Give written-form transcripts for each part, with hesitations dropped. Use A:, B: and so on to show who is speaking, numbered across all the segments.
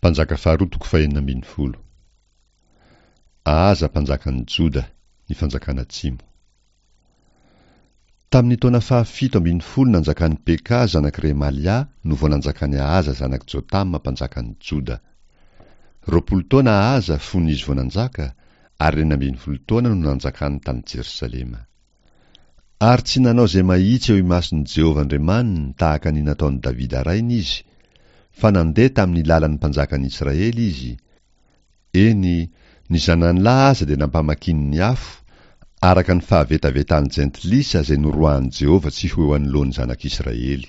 A: Mpanjaka faharoa toko fahenina ambin'ny folo. Ahaza mpanjakan'i Joda, ny fanjakana atsimo. Tamin'ny taona fahafito ambin'ny folo nanjakan'i Peka zanak'i Remalia no vao nanjakan'i Ahaza zanak'i Jotama mpanjakan'i Joda. 20 taona Ahaza fony izy vao nanjaka, ary 16 taona no nanjakany tany Jerosalema. Ary tsy nanao izay mahitsy eo imason'i Jehovah Andriamaniny tahaka ny nataon'i Davida rainy izy, fa nandeha tamin'ny lalan'ny mpanjakan'i Israely izy, eny, ny zanany lahy aza dia nampamakiny ny afo, araka ny fahavetavetan'ny jentilisa izay noroahan'i Jehovah tsy ho eo anoloan'ny zanak'Israely.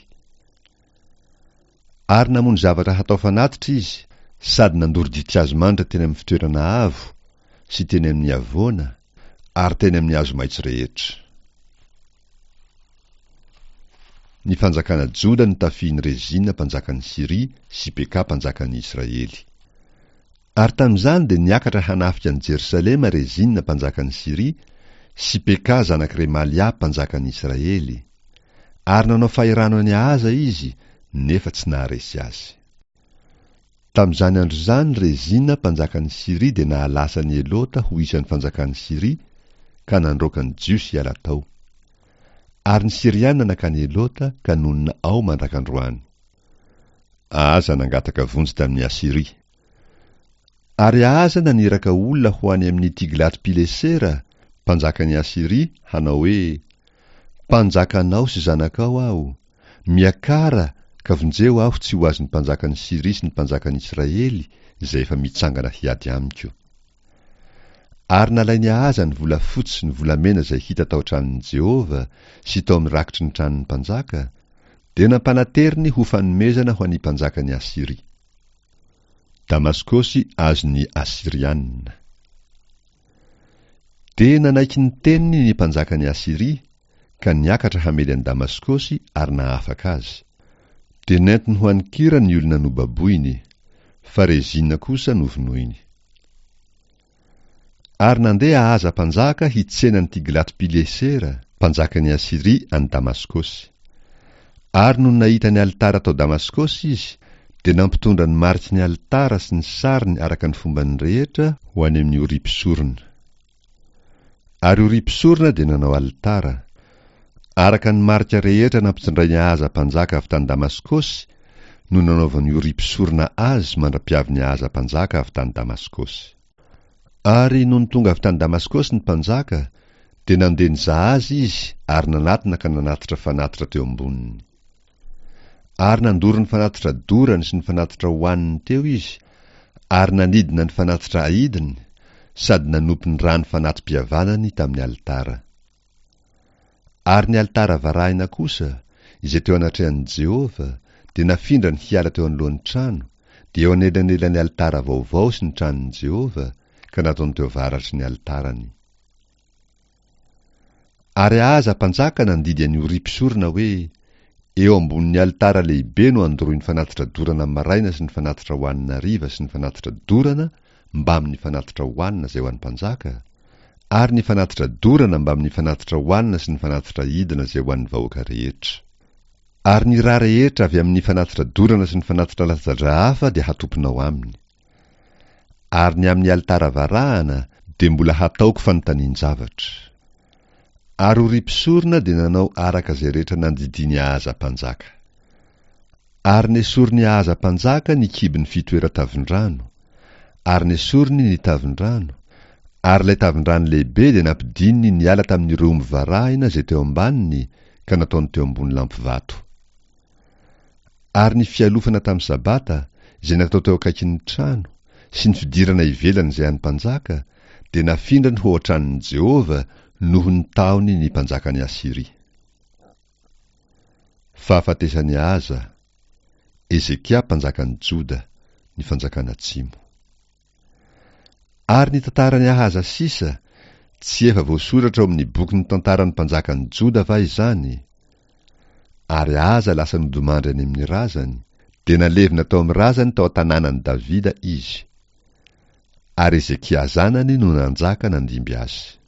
A: Ary namono zavatra hatao fanatitra izy, sady nandoro ditin-kazo manitra teny amin'ny fitoerana avo, sy teny amin'ny havoana, ary teny amin'ny hazo maitso rehetra. Ny fanjakana Joda notafihin'i Rezina mpanjakan'i Syria sy Peka mpanjakan'i Israely. Ary tamin'izany dia niakatra hanafika an'i Jerosalema Rezina mpanjakan'i Syria sy Peka zanak'i Remalia mpanjakan'i Israely. Ary nanao fahirano an'i Ahaza izy, nefa tsy naharesy azy. Tamin'izany andro izany Rezina mpanjakan'i Syria dia nahalasa an'i Elota ho isan'ny fanjakan'i Syria, ka nandroaka ny Jiosy hiala tao. Ary ny Syriana nankany Elota ka nonina ao mandrak'androany. Ahaza nangataka vonjy tamin'i Asyria. Ary Ahaza naniraka olona ho any amin'i Tiglato-Pilesera, mpanjakan'i Asyria, hanao hoe, Mpanjakanao sy zanakao aho, miakara ka vonjeo aho tsy ho azon'ny mpanjakan'i Syria sy ny mpanjakan'i Israely izay efa mitsangana hiady amiko. Ary nalain'i Ahaza ny volafotsy sy ny volamena izay hita tao an-tranon'i Jehovah sy tao amin'ny rakitry ny tranon'ny mpanjaka, dia nampanateriny ho fanomezana ho an'ny mpanjakan'i Asyria. Damaskosy azon'ny Asyriana. Dia nanaiky ny teniny ny mpanjakan'i Asyria, ka niakatra hamely an'i Damaskosy ary nahafaka azy. Dia nentiny ho any Kira ny olona nobaboiny, fa Rezina kosa novonoiny. Ary nandeha Ahaza mpanjaka hitsena an'i Tiglato-Pilesera, mpanjakan'i Asyria any Damaskosy. Ary nony nahita ny alitara tao Damaskosy izy, dia nampitondra ny mariky ny alitara sy ny sariny araka ny fombany rehetra ho any amin'i Oria mpisorona. Ary Oria mpisorona dia nanao alitara, araka ny marika rehetra nampitondrain'i Ahaza mpanjaka avy tany Damaskosy no nanaovan'i Oria mpisorona azy mandra-piavin'i Ahaza mpanjaka avy tany Damaskosy. Ary nony tonga avy tany Damaskosy ny mpanjaka, dia nandeha nizaha azy izy ary nanatona ka nanatitra fanatitra teo amboniny. Ary nandoro ny fanatitra dorany sy ny fanatitra hohaniny teo izy, ary nanidina ny fanatitra aidiny, sady nanopy ny rano fanati-pihavanany tamin'ny alitara. Ary ny alitara varahina kosa, izay teo anatrehan'i Jehovah, dia nafindrany hiala teo anoloan'ny trano, dia eo anelanelan'ny alitara vaovao sy ny tranon'i Jehovah, ka nataony teo avaratry ny alitarany. Ary Ahaza mpanjaka nandidy an'i Oria mpisorona hoe, Eo ambonin'ny alitara lehibe no andoroy ny fanatitra dorana maraina sy ny fanatitra hohanina hariva sy ny fanatitra dorana mbamin'ny fanatitra hohanina izay ho an'ny mpanjaka, ary ny fanatitra dorana mbamin'ny fanatitra hohanina sy ny fanatitra aidina izay ho an'ny vahoaka rehetra. Ary ny ra rehetra avy amin'ny fanatitra dorana sy ny fanatitra latsa-dra hafa dia hatopinao aminy. Ary ny amin'ny alitara varahana dia mbola hataoko fanontanian-javatra. Ary Oria mpisorona dia nanao araka izay rehetra nandidian'i Ahaza mpanjaka. Ary nesorin'i Ahaza mpanjaka ny kibon'ny fitoeran-tavin-drano, ary nesoriny ny tavin-drano, ary ilay tavin-drano lehibe dia nampidininy niala tamin'ireo omby varahina izay teo ambaniny ka nataony teo ambony lampivato. Ary ny fialofana tamin'ny Sabata, izay natao teo akaikin'ny trano, sy ny fidirana ivelany izay an'ny mpanjaka, dia nafindrany ho ao an-tranon'i Jehovah noho ny tahony ny mpanjakan'i Asyria. Fahafatesan'i Ahaza, Hezekia mpanjakan'i Joda, ny fanjakana atsimo. Ary ny tantaran'i Ahaza sisa, tsy efa voasoratra ao amin'ny bokin'ny tantaran'ny mpanjakan'i Joda va izany? Ary Ahaza lasa nodimandry any amin'ny razany, dia nalevina tao amin'ny razany tao an-tanànan'i Davida izy. Ary Hezekia zanany no nanjaka nandimby azy.